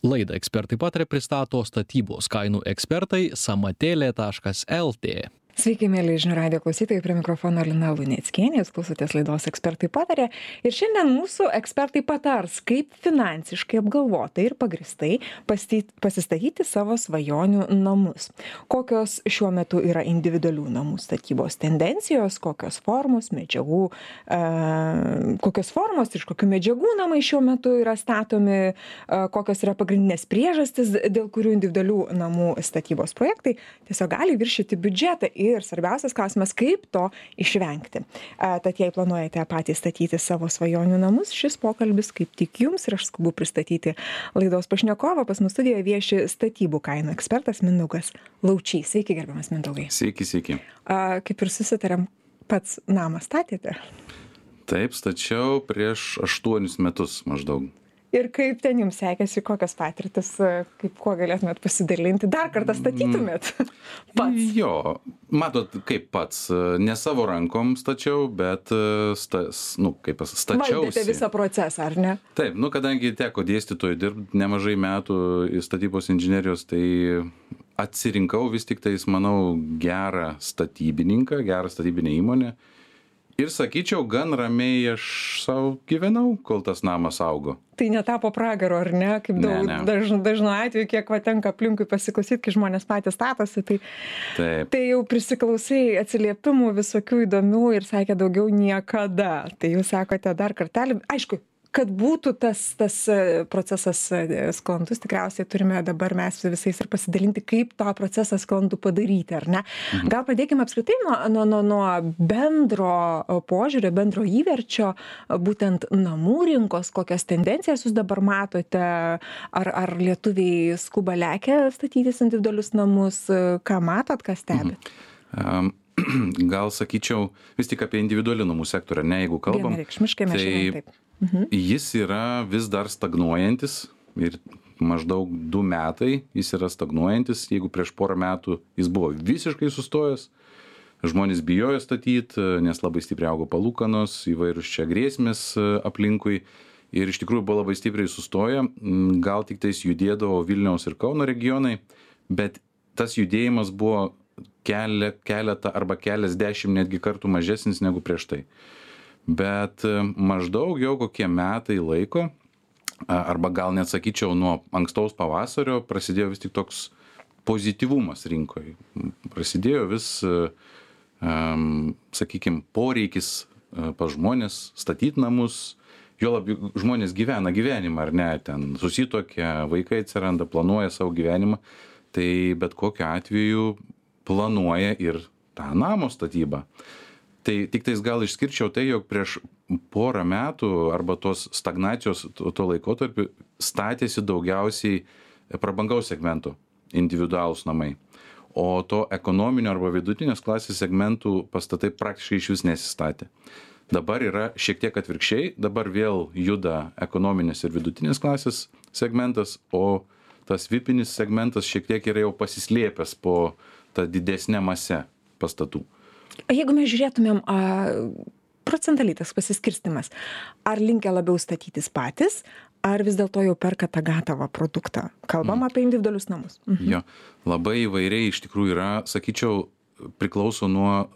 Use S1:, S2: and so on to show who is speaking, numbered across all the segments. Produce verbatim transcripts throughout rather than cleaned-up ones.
S1: Laidą Ekspertai pataria pristato statybos kainų ekspertai samatėlė taškas lt.
S2: Sveiki, mėly žinių radijo klausytojai, prie mikrofono Lina Luneckienė, jūs klausotės laidos Ekspertai pataria. Ir šiandien mūsų ekspertai patars, kaip finansiškai apgalvotai ir pagristai pasistatyti savo svajonių namus. Kokios šiuo metu yra individualių namų statybos tendencijos, kokios formos, medžiagų, e, kokios formos, iš kokių medžiagų namai šiuo metu yra statomi, e, kokios yra pagrindinės priežastis, dėl kurių individualių namų statybos projektai tiesiog gali viršyti biudžetą. Ir svarbiausias klausimas, kaip to išvengti. Tad jei planuojate patys statyti savo svajonių namus, šis pokalbis kaip tik jums ir aš skubu pristatyti laidos pašnekovą. Pas mus studijoje vieši statybų kainų ekspertas Mindaugas Laučys. Sveiki, gerbiamas Mindaugai.
S3: Sveiki, sveiki.
S2: A, kaip ir susitarėm, pats namą statėte?
S3: Taip, stačiau prieš aštuonis metus maždaug.
S2: Ir kaip ten jums sekėsi, kokios patirtis, kaip kuo galėtumėt pasidalinti, dar kartą statytumėt pats?
S3: Jo, matot, kaip pats, ne savo rankom stačiau, bet stas, nu, kaip stačiausi.
S2: Valdėte visą procesą, ar ne?
S3: Taip, nu, kadangi teko dėstytojų dirbti nemažai metų statybos inžinerijos, tai atsirinkau vis tik tais, manau, gerą statybininką, gerą statybinę įmonę. Ir sakyčiau, gan ramiai aš savo gyvenau, kol tas namas augo.
S2: Tai netapo pragaro, ar ne? Kaip daug,
S3: ne, ne.
S2: Daž, dažnu atveju, kiek va tenka aplinkui pasiklausyti, kai žmonės patys statosi, tai, tai jau prisiklausai atsiliepimų visokių įdomių ir sakė daugiau niekada. Tai jūs sakote dar kartelį, aišku, kad būtų tas, tas procesas sklandus, tikriausiai turime dabar mes visais ir pasidalinti, kaip tą procesą sklandų padaryti, ar ne? Mhm. Gal pradėkime apskritai nuo, nuo, nuo, nuo bendro požiūrio, bendro įverčio, būtent namų rinkos, kokias tendencijas jūs dabar matote, ar, ar lietuviai skuba lekia statytis individualius namus, ką matot, ką stebit?
S3: Mhm. Um, gal sakyčiau vis tik apie individualių namų sektorių, ne, jeigu kalbam.
S2: Vienareikšmiškai mes šiandien taip.
S3: Mhm. Jis yra vis dar stagnuojantis ir maždaug du metai jis yra stagnuojantis. Jeigu prieš porą metų jis buvo visiškai sustojęs, žmonės bijojo statyti, nes labai stipriai augo palūkanos, įvairūs čia grėsmės aplinkui ir iš tikrųjų buvo labai stipriai sustoję. Gal tik tais judėdavo Vilniaus ir Kauno regionai, bet tas judėjimas buvo kelia, keletą arba keliasdešimt netgi kartų mažesnis negu prieš tai. Bet maždaug jau kokie metai laiko, arba gal net sakyčiau nuo ankstaus pavasario, prasidėjo vis tik toks pozityvumas rinkoje. Prasidėjo vis, um, sakykime, poreikis pas žmonės statyti namus, jo labiau žmonės gyvena gyvenimą, ar ne, ten susituokia, vaikai atsiranda, planuoja savo gyvenimą, tai bet kokiu atveju planuoja ir tą namo statybą. Tai tik tais gal išskirčiau tai, jog prieš porą metų arba tos stagnacijos to, to laikotarpiu statėsi daugiausiai prabangaus segmentų individualūs namai. O to ekonominio arba vidutinės klasės segmentų pastatai praktiškai iš vis nesistatė. Dabar yra šiek tiek atvirkščiai, dabar vėl juda ekonominės ir vidutinės klasės segmentas, o tas vipinis segmentas šiek tiek yra jau pasislėpęs po tą didesnę masę pastatų.
S2: Jeigu mes žiūrėtumėm a, procentaliai tas pasiskirstimas, ar linkę labiau statytis patys, ar vis dėlto jau perka tą gatavą produktą? Kalbam mm. apie individualius namus. Mhm.
S3: Jo, labai įvairiai iš tikrųjų yra, sakyčiau, priklauso nuo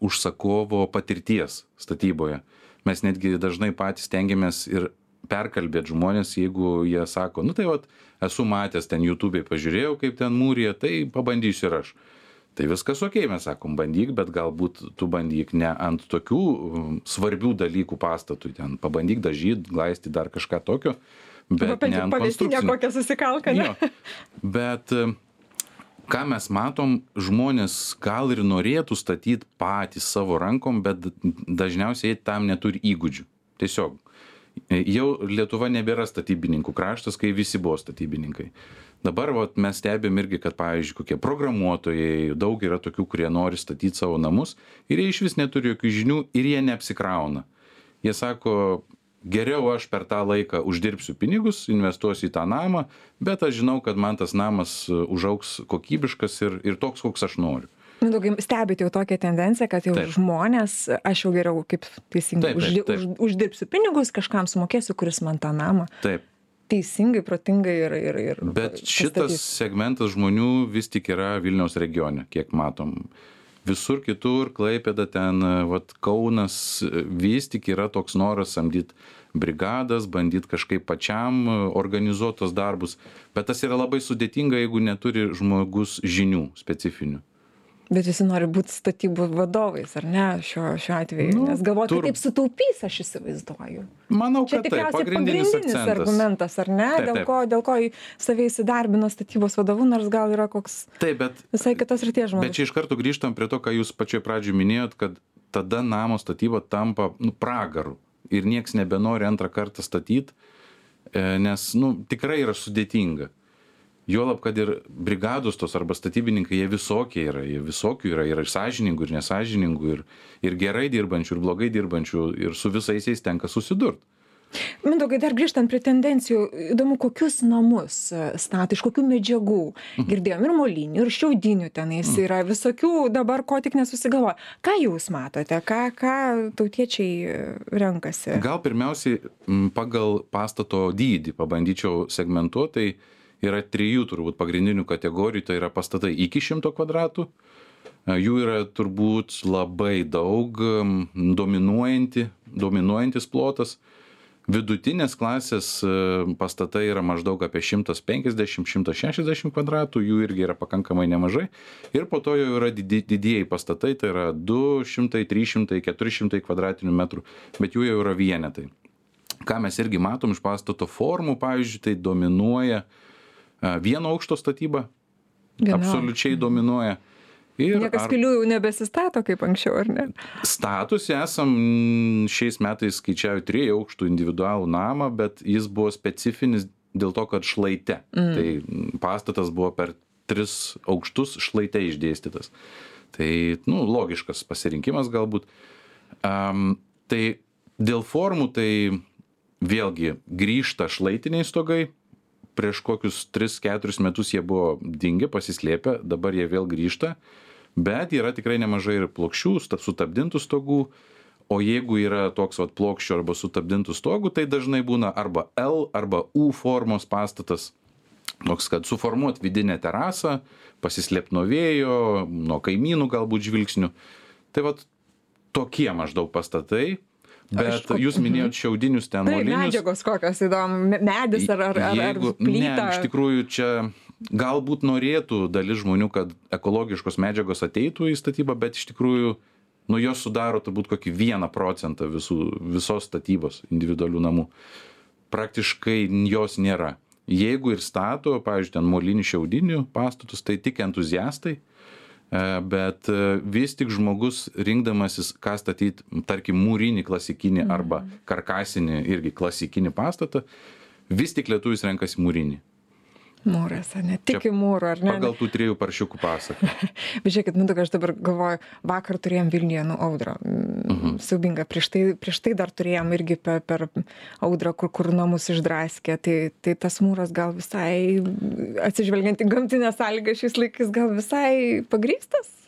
S3: užsakovo patirties statyboje. Mes netgi dažnai patys stengiamės ir perkalbėti žmonės, jeigu jie sako, nu tai vat, esu matęs ten YouTube'ai, pažiūrėjau, kaip ten mūrija, tai pabandysiu ir aš. Tai viskas okei, mes sakom, bandyk, bet galbūt tu bandyk ne ant tokių svarbių dalykų pastatui, ten pabandyk dažyt, glaisti dar kažką tokio, bet
S2: Arba
S3: ne ant
S2: konstrukcinio. Kokią susikalką, ne?
S3: Jo, bet ką mes matom, žmonės gal ir norėtų statyti patys savo rankom, bet dažniausiai tam neturi įgūdžių. Tiesiog. Jau Lietuva nebėra statybininkų kraštas, kai visi buvo statybininkai. Dabar vat, mes stebėm irgi, kad, pavyzdžiui, kokie programuotojai, daug yra tokių, kurie nori statyti savo namus ir jie iš vis neturi jokių žinių ir jie neapsikrauna. Jie sako, geriau aš per tą laiką uždirbsiu pinigus, investuosiu į tą namą, bet aš žinau, kad man tas namas užaugs kokybiškas ir, ir toks, koks aš noriu.
S2: Mindaugai, stebite jau tokią tendenciją, kad jau taip. Žmonės, aš jau geriau, kaip teisingai,
S3: taip, taip, taip.
S2: Už, už, uždirbsiu pinigus, kažkam sumokėsiu, kuris man tą namą.
S3: Taip.
S2: teisingai, protingai ir... ir, ir
S3: Bet šitas
S2: pastatys.
S3: segmentas žmonių vis tik yra Vilniaus regione, kiek matom. Visur kitur, Klaipėda ten, vat Kaunas, vis tik yra toks noras samdyt brigadas, bandyt kažkaip pačiam organizuot tos darbus. Bet tas yra labai sudėtinga, jeigu neturi žmogus žinių specifinių.
S2: Bet visi nori būti statybų vadovais, ar ne, šiuo, šiuo atveju?
S3: Nu,
S2: Nes galvoja,
S3: tur-
S2: kad taip sutaupys, aš įsivaizduoju.
S3: Manau,
S2: Čia
S3: kad taip,
S2: tikriausiai
S3: pagrindinis
S2: pagrindinis
S3: akcentas.
S2: argumentas, ar ne?
S3: Taip,
S2: dėl,
S3: taip.
S2: ko, dėl ko save įsidarbina statybos vadovu, nors gal yra koks
S3: Taip, bet
S2: visai kitos ryties žmogus.
S3: Bet čia iš karto grįžtam prie to, ką jūs pačioj pradžioj minėjot, kad tada namo statyba tampa nu, pragaru ir nieks nebenori antrą kartą statyti, nes nu, tikrai yra sudėtinga. Juolab, kad ir brigados tos arba statybininkai, jie visokie yra, jie visokių yra, yra ir sąžiningų, ir nesąžiningų, ir, ir gerai dirbančių, ir blogai dirbančių, ir su visais jais tenka susidurti.
S2: Mindaugai, dar grįžtant prie tendencijų, įdomu, kokius namus stato, iš kokių medžiagų. Girdėjom ir molinių, ir šiaudinių tenais yra visokių, dabar ko tik nesusigalvoja. Ką jūs matote, ką, ką tautiečiai renkasi?
S3: Gal pirmiausiai m, pagal pastato dydį pabandyčiau segmentuoti, tai yra trijų turbūt pagrindinių kategorijų, tai yra pastatai iki šimto kvadratų, jų yra turbūt labai daug, dominuojanti, dominuojantis plotas. Vidutinės klasės pastatai yra maždaug apie šimtas penkiasdešimt iki šimto šešiasdešimt kvadratų, jų irgi yra pakankamai nemažai. Ir po to jau yra didi, didieji pastatai, tai yra du šimtai, trys šimtai, keturi šimtai kvadratinių metrų, bet jų jau yra vienetai. Ką mes irgi matom iš pastato formų, pavyzdžiui, tai dominuoja vieno aukšto statyba,
S2: Viena.
S3: absoliučiai dominuoja. Ir
S2: Niekas
S3: ar-
S2: pilių jau nebesistato kaip anksčiau, ar ne?
S3: Statusi esam šiais metais skaičiavę trijų aukštų individualų namą, bet jis buvo specifinis dėl to, kad šlaite. Mm. Tai pastatas buvo per tris aukštus šlaite išdėstytas. Tai, nu, logiškas pasirinkimas galbūt. Um, tai dėl formų, tai vėlgi grįžta šlaitiniai stogai. Prieš kokius tris keturis metus jie buvo dingę, pasislėpę, dabar jie vėl grįžta. Bet yra tikrai nemažai ir plokščių, sutapdintų stogų, o jeigu yra toks vat plokščių arba sutapdintų stogų, tai dažnai būna arba L arba U formos pastatas, toks, kad suformuot vidinę terasą, pasislėpti nuo vėjo, nuo kaimynų galbūt žvilgsnių. Tai vat tokie maždaug pastatai, bet
S2: Aišku.
S3: jūs minėjot šiaudinius ten
S2: Tai
S3: molinius.
S2: medžiagos kokios įdomu, me- medis ar, ar, ar, ar
S3: Jeigu-
S2: plyta.
S3: Ne, iš tikrųjų čia galbūt norėtų dalis žmonių, kad ekologiškos medžiagos ateitų į statybą, bet iš tikrųjų, nu, jos sudaro turbūt kokį vieną procentą visų, visos statybos individualių namų. Praktiškai jos nėra. Jeigu ir stato, pavyzdžiui, ten molinių šiaudinių pastatus, tai tik entuziastai, e, bet e, vis tik žmogus rinkdamasis, ką statyti, tarkim, mūrinį klasikinį arba karkasinį irgi klasikinį pastatą, vis tik lietuvis renkasi mūrinį.
S2: Mūras, ar ne? Tik į mūrų, ar ne?
S3: Pagal tų trijų paršiukų pasaką.
S2: Bet žiūrėkit, Mindaugai, aš dabar galvoju, vakar turėjom Vilniuje, nu, audrą. Mhm. Siaubinga. Prieš tai, prieš tai dar turėjom irgi per, per audrą, kur, kur namus išdraskė. Tai, tai tas mūras gal visai, atsižvelgiant į gamtinę sąlygą šiais laikais, gal visai pagrįstas?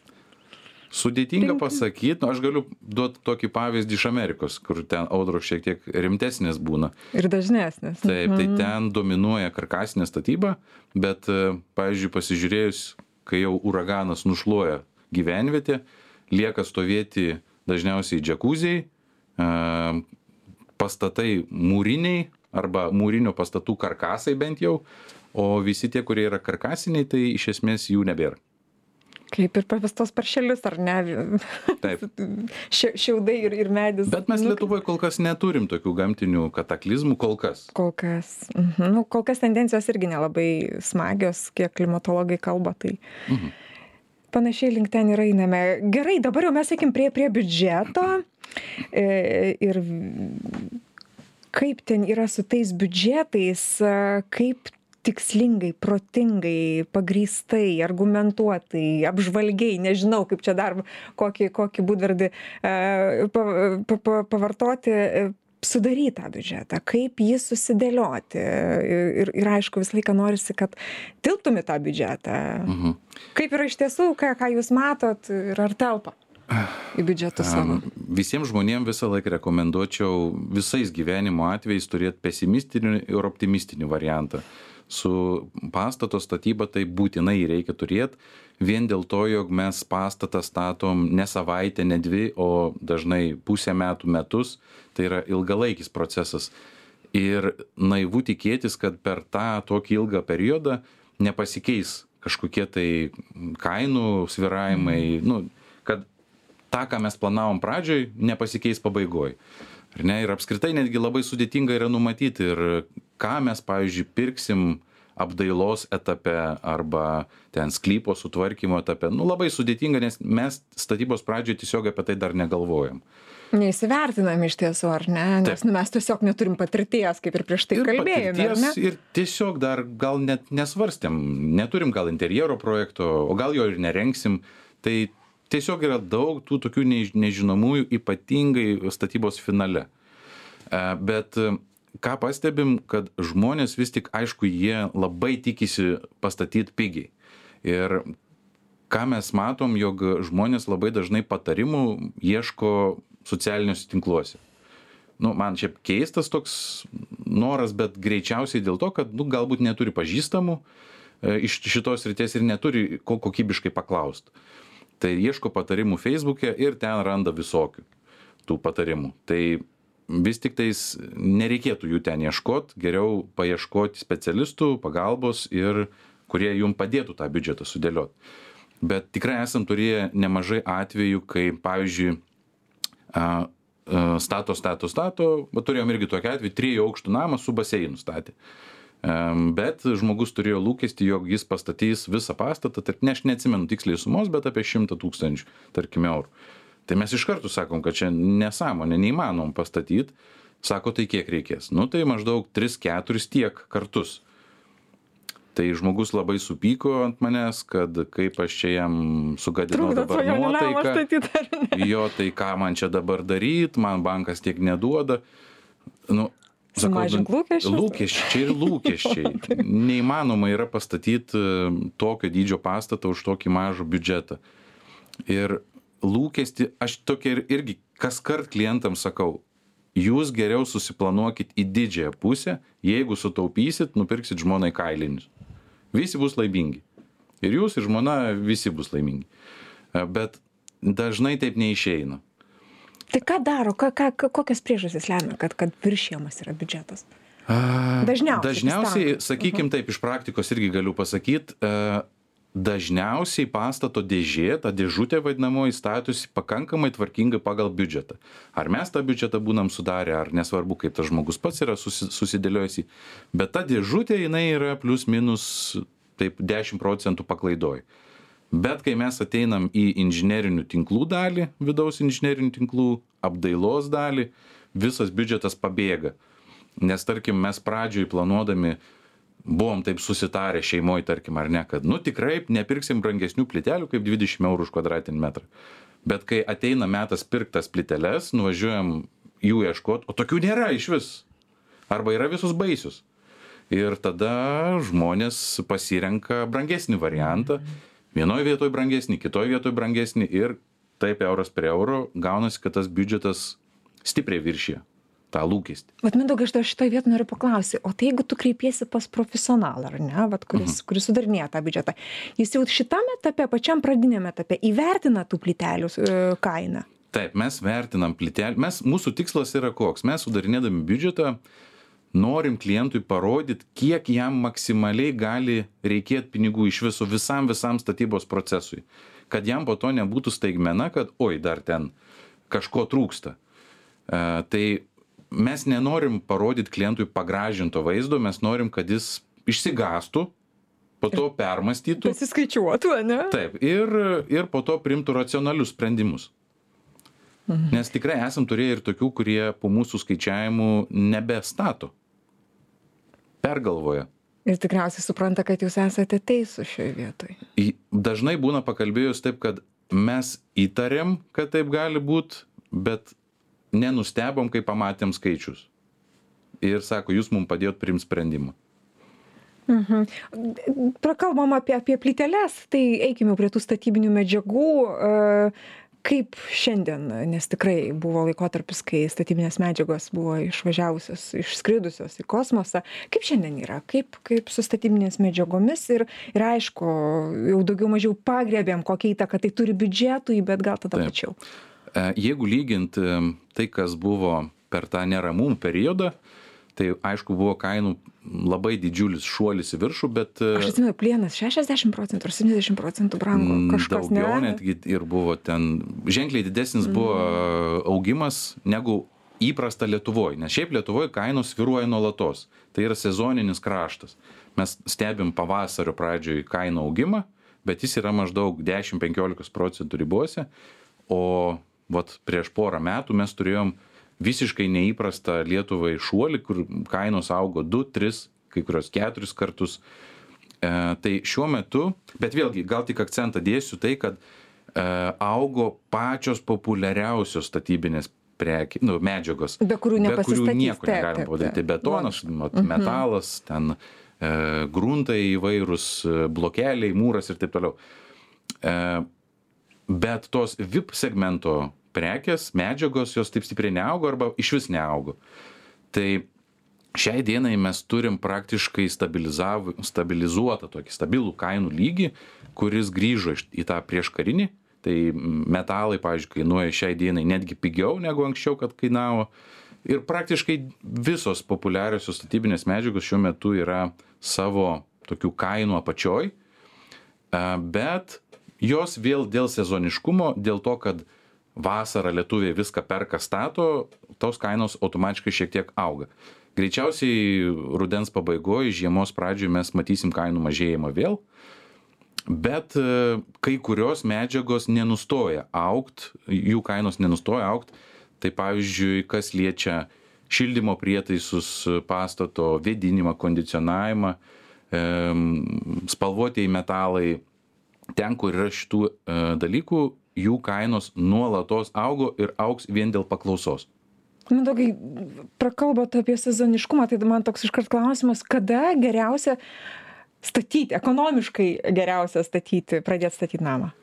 S3: Sudėtinga
S2: Tinka.
S3: pasakyti, nu, aš galiu duoti tokį pavyzdį iš Amerikos, kur ten audros šiek tiek rimtesnės būna.
S2: Ir dažnesnis.
S3: Taip, tai ten dominuoja karkasinė statyba, bet, e, pavyzdžiui, pasižiūrėjus, kai jau uraganas nušluoja gyvenvietę, lieka stovėti dažniausiai džakuziai, e, pastatai mūriniai arba mūrinių pastatų karkasai bent jau, o visi tie, kurie yra karkasiniai, tai iš esmės jų nebėra.
S2: Kaip ir pavestos paršelius, ar ne?
S3: Taip.
S2: Šia- Šiaudai ir, ir medis.
S3: Bet mes
S2: Nu,
S3: Lietuvoje kol kas neturim tokių gamtinių kataklizmų, kol kas.
S2: Kol kas. Mhm. Nu, kol kas tendencijos irgi nelabai smagios, kiek klimatologai kalba. Tai
S3: Mhm.
S2: panašiai link ten ir einame. Gerai, dabar jau mes eikim prie, prie biudžeto. E, ir kaip ten yra su tais biudžetais, e, kaip tikslingai, protingai, pagrįstai, argumentuotai, apžvalgiai, nežinau, kaip čia dar kokį, kokį būdvardį e, pa, pa, pa, pavartoti, e, sudaryti tą biudžetą, kaip jį susidėlioti. Ir, ir aišku, visą laiką norisi, kad tilptum į tą biudžetą.
S3: Mhm.
S2: Kaip yra iš tiesų, ką, ką jūs matot ir ar telpa? į biudžetą savo?
S3: Visiems žmonėms visą laiką rekomenduočiau visais gyvenimo atvejais turėti pesimistinį ir optimistinį variantą. Su pastato statyba tai būtinai reikia turėti, vien dėl to, jog mes pastatą statom ne savaitę, ne dvi, o dažnai pusę metų, metus, tai yra ilgalaikis procesas. Ir naivu tikėtis, kad per tą tokį ilgą periodą nepasikeis kažkokie tai kainų svyravimai, nu, kad tą, ką mes planavom pradžioj, nepasikeis pabaigoj. Ar ne? Ir apskritai netgi labai sudėtinga yra numatyti, ir ką mes, pavyzdžiui, pirksim apdailos etape arba ten sklypo sutvarkymo etape. Nu, labai sudėtinga, nes mes statybos pradžioje tiesiog apie tai dar negalvojam.
S2: Neįsivertinam iš tiesų, ar ne? Nes nu, mes tiesiog neturim patirties, kaip ir prieš tai
S3: ir
S2: kalbėjome, ar ne?
S3: Ir tiesiog dar gal net nesvarstėm, neturim gal interjero projekto, o gal jo ir nerengsim. Tai tiesiog yra daug tų tokių nežinomųjų, ypatingai statybos finale. Bet ką pastebim, kad žmonės vis tik, aišku, jie labai tikisi pastatyti pigiai. Ir ką mes matom, jog žmonės labai dažnai patarimų ieško socialiniuose tinkluose. Nu, man šiaip keistas toks noras, bet greičiausiai dėl to, kad nu, galbūt neturi pažįstamų e, iš šitos srities ir neturi ko kokybiškai paklaust. Tai ieško patarimų Facebook'e ir ten randa visokių tų patarimų. Tai vis tik tais nereikėtų jų ten ieškot, geriau paieškoti specialistų, pagalbos ir kurie jum padėtų tą biudžetą sudėliot. Bet tikrai esam turėję nemažai atvejų, kai, pavyzdžiui, a, a, stato, stato, stato, bet turėjom irgi tokį atvejį, trijų aukštų namą su baseinu statė. Um, bet žmogus turėjo lūkestį, jog jis pastatys visą pastatą, tarp, ne, aš neatsimenu tiksliai sumos, bet apie šimtą tūkstančių, tarkim, eurų. Tai mes iš karto sakom, kad čia nesąmonė, neįmanom pastatyti. Sako, tai kiek reikės? Nu, tai maždaug tris keturis tiek kartus. Tai žmogus labai supyko ant manęs, kad kaip aš čia jam sugadinau dabar nuotaiką. Jo, tai ką man čia dabar daryt, man bankas tiek neduoda. Nu,
S2: sumažink lūkesčius.
S3: Lūkesčiai ir lūkesčiai. Neįmanoma yra pastatyti tokio dydžio pastatą už tokį mažą biudžetą. Ir lūkestį, aš tokia ir, irgi kaskart klientams sakau, jūs geriau susiplanuokit į didžiąją pusę, jeigu sutaupysit, nupirksit žmonai kailinius. Visi bus laimingi. Ir jūs, ir žmona, visi bus laimingi. Bet dažnai taip neišeina.
S2: Tai ką daro, ką, ką, kokias priežastis lemia, kad, kad viršijamas yra biudžetas? Dažniausiai.
S3: Dažniausiai, sakykim taip, iš praktikos irgi galiu pasakyti, dažniausiai pastato dėžė, ta dėžutė vadinamoji, statosi pakankamai tvarkingai pagal biudžetą. Ar mes tą biudžetą būnam sudarę, ar nesvarbu, kaip tas žmogus pats yra susi, susidėliojusi, bet ta dėžutė jinai yra plus minus taip dešimt procentų paklaidoj. Bet kai mes ateinam į inžinerinių tinklų dalį, vidaus inžinerinių tinklų, apdailos dalį, visas biudžetas pabėga. Nes tarkim, mes pradžioj planuodami buvom taip susitarę šeimoj, tarkim, ar ne, kad, nu, tikrai nepirksim brangesnių plytelių kaip dvidešimt eurų už kvadratinį metrą. Bet kai ateina metas pirktas plyteles, nuvažiuojam jų ieškot, o tokių nėra iš vis. Arba yra visus baisius. Ir tada žmonės pasirenka brangesnį variantą. Vienoje vietoje brangesnį, kitoje vietoje brangesnį ir taip euras prie euro gaunasi, kad tas biudžetas stipriai viršija tą lūkestį.
S2: Vat Mindaugai, aš šitoj vietoj noriu paklausyti, o tai jeigu tu kreipiesi pas profesionalą, ar ne, vat, kuris, mhm. kuris sudarinėja tą biudžetą, jis jau šitam etape, pačiam pradiniam etape įvertina tų plytelių e, kainą?
S3: Taip, mes vertinam plytelį, mes, mūsų tikslas yra koks, mes sudarinėdami biudžetą norim klientui parodyti, kiek jam maksimaliai gali reikėti pinigų iš viso visam visam statybos procesui, kad jam po to nebūtų staigmena, kad oi, dar ten kažko trūksta. E, tai mes nenorim parodyti klientui pagražinto vaizdo, mes norim, kad jis išsigąstų, po to permąstytų.
S2: Pasiskaičiuotų, ne?
S3: Taip, ir, ir po to priimtų racionalius sprendimus. Mhm. Nes tikrai esam turėję ir tokių, kurie po mūsų skaičiavimų nebestato. Pergalvoja.
S2: Ir tikriausiai supranta, kad jūs esate teisūs šioje vietoje.
S3: Dažnai būna pakalbėjus taip, kad mes įtarėm, kad taip gali būti, bet nenustebom, kai pamatėm skaičius. Ir sako, jūs mums padėjot priimti sprendimą.
S2: Mhm. Prakalbam apie, apie plyteles, tai eikime prie tų statybinių medžiagų. kaip šiandien, nes tikrai buvo laikotarpis, kai statybinės medžiagos buvo išvažiavusios, išskridusios į kosmosą. Kaip šiandien yra? Kaip, kaip su statybinės medžiagomis? Ir, ir aišku, jau daugiau mažiau pagrėbėm, kokią įtaką tai turi biudžetui, bet gal tada
S3: Taip.
S2: plačiau.
S3: Jeigu lygint tai, kas buvo per tą neramumų periodą, tai aišku buvo kainų labai didžiulis šuolis į viršų, bet...
S2: Aš atsimenu, plienas šešiasdešimt procentų ar septyniasdešimt procentų brango, kažkas ne.
S3: Daugiau netgi ir buvo ten, ženkliai didesnis mm. buvo augimas negu įprasta Lietuvoje, nes šiaip Lietuvoje kainos svyruoja nuolatos. Tai yra sezoninis kraštas. Mes stebim pavasario pradžioj kainų augimą, bet jis yra maždaug dešimt penkiolika procentų ribose, o vat prieš porą metų mes turėjom visiškai neįprastą Lietuvai šuolį, kur kainos augo du, tris, kai kurios keturis kartus. E, tai šiuo metu, bet vėlgi, gal tik akcentą dėsiu tai, kad e, augo pačios populiariausios statybinės preki, nu, medžiagos,
S2: be kurių,
S3: be kurių nieko negalim padaryti. Betonas,
S2: mhm.
S3: metalas, ten e, gruntai įvairūs, blokeliai, mūras ir taip toliau. E, bet tos V I P segmento prekės, medžiagos, jos taip stipriai neaugo arba išvis neaugo. Tai šiai dienai mes turim praktiškai stabilizuotą tokį stabilų kainų lygį, kuris grįžo į tą prieškarinį. Tai metalai, pavyzdžiui, kainuoja šiai dienai netgi pigiau negu anksčiau, kad kainavo. Ir praktiškai visos populiariosios statybinės medžiagos šiuo metu yra savo tokių kainų apačioj, bet jos vėl dėl sezoniškumo, dėl to, kad vasarą lietuviai viską perka stato, tos kainos automatiškai šiek tiek auga. Greičiausiai rudens pabaigoje, žiemos pradžioje mes matysim kainų mažėjimą vėl, bet kai kurios medžiagos nenustoja augt, jų kainos nenustoja augt. Tai pavyzdžiui, kas liečia šildymo prietaisus, pastato vėdinimą, kondicionavimą, spalvotieji metalai, ten, kur yra šitų dalykų, jų kainos nuolatos augo ir augs vien dėl paklausos.
S2: Mindaugai, prakalbot apie sezoniškumą, tai man toks iškart klausimas, kada geriausia statyti, ekonomiškai geriausia statyti, pradėti statyti namą?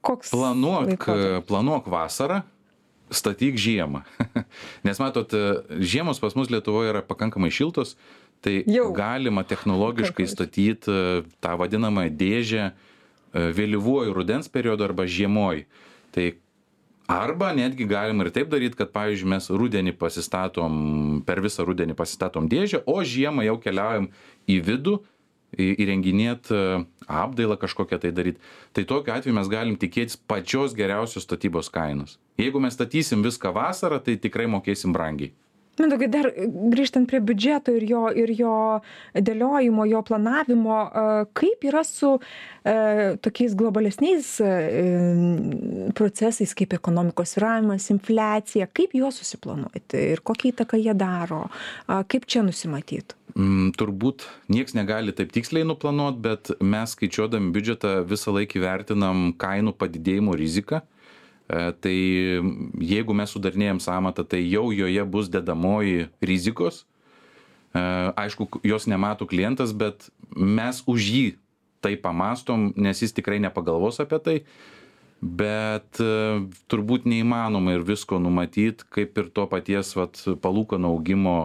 S2: Koks
S3: planuok,
S2: laikotarpis?
S3: planuok vasarą, statyk žiemą. Nes matot, žiemos pas mus Lietuvoje yra pakankamai šiltos, tai Jau. galima technologiškai statyti tą vadinamą dėžę vėlyvuoju rudens periodu arba žiemoj. Tai arba netgi galim ir taip daryti, kad, pavyzdžiui, mes rudenį pasistatom, per visą rudenį pasistatom dėžę, o žiemą jau keliaujam į vidų, įrenginėt apdailą kažkokią tai daryti. Tai tokiu atveju mes galim tikėtis pačios geriausios statybos kainos. Jeigu mes statysim viską vasarą, tai tikrai mokėsim brangiai.
S2: Mindaugai, dar grįžtant prie biudžeto ir jo, ir jo dėliojimo, jo planavimo, kaip yra su e, tokiais globalesniais e, procesais, kaip ekonomikos svyravimas, infliacija, kaip juos susiplanuoti ir kokią įtaką jie daro, kaip čia nusimatyti?
S3: Mm, turbūt nieks negali taip tiksliai nuplanuoti, bet mes skaičiuodami biudžetą visą laiką vertinam kainų padidėjimo riziką. Tai jeigu mes sudarinėjam sąmatą, tai jau joje bus dedamoji rizikos. Aišku, jos nemato klientas, bet mes už jį tai pamastom, nes jis tikrai nepagalvos apie tai. Bet turbūt neįmanoma ir visko numatyti, kaip ir to paties vat, palūkanų augimo,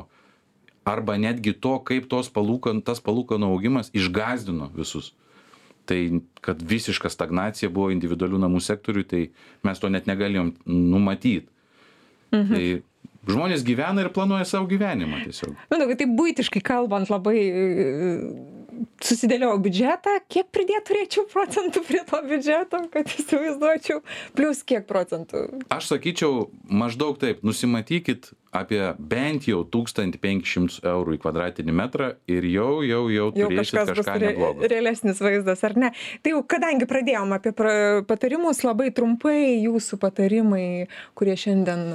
S3: arba netgi to, kaip tos palūkan, tas palūkanų augimas išgąsdino visus. Tai, kad visiška stagnacija buvo individualių namų sektoriui, tai mes to net negalėjom numatyti. Mhm. Tai žmonės gyvena ir planuoja savo gyvenimą tiesiog.
S2: Manau, kad tai buitiškai kalbant labai susidėliau biudžetą, kiek pridėt turėčiau procentų prie to biudžeto, kad įsivaizduočiau, plus kiek procentų?
S3: Aš sakyčiau, maždaug taip, nusimatykit apie bent jau tūkstantį penkis šimtus eurų į kvadratinį metrą ir jau, jau, jau turėsit
S2: jau
S3: kažką neblogo.
S2: Realesnis vaizdas, ar ne? Tai jau, kadangi pradėjom apie patarimus, labai trumpai jūsų patarimai, kurie šiandien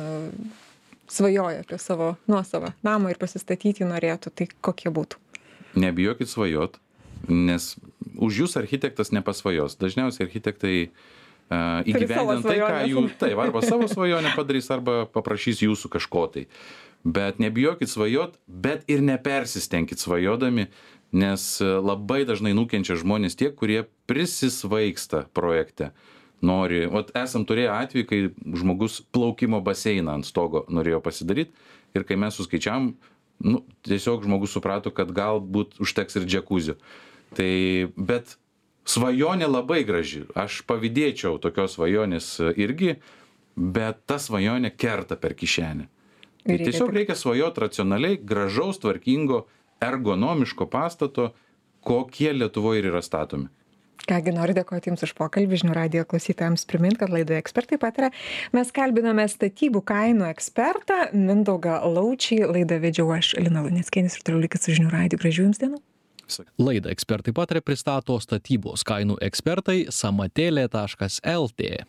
S2: svajoja apie savo nuosavą namą ir pasistatyti norėtų, tai kokie būtų?
S3: Nebijokit svajot, nes už jūs architektas nepasvajos. Dažniausiai architektai uh, įgyvendina tai, ką jų, taip, arba savo svajonę padarys, arba paprašys jūsų kažko tai. Bet nebijokit svajot, bet ir nepersistengkit svajodami, nes labai dažnai nukenčia žmonės tie, kurie prisisvaigsta projekte. nori, vat esam turėję atvejį, kai žmogus plaukimo baseiną ant stogo norėjo pasidaryti ir kai mes suskaičiavom, nu, tiesiog žmogus suprato, kad galbūt užteks ir džekuzio. Tai, bet svajonė labai graži. Aš pavydėčiau tokios svajonės irgi, bet ta svajonė kerta per kišenę. Tai
S2: Reikia
S3: tiesiog
S2: tik-
S3: reikia svajoti racionaliai, gražaus, tvarkingo, ergonomiško pastato, kokie Lietuvoje ir yra statomi.
S2: Kągi, noriu dėkoti Jums už pokalbį. Žinių radijo klausytojams primint, kad laidoje ekspertai pataria. Mes kalbinome statybų kainų ekspertą Mindaugą Laučį. Laidą vedžiau aš, Lina Luneckienė, ir toliau likit su Žinių radiju. Gražių Jums dienų.
S1: Laidą ekspertai pataria pristato statybos kainų ekspertai samatėlė taškas lt.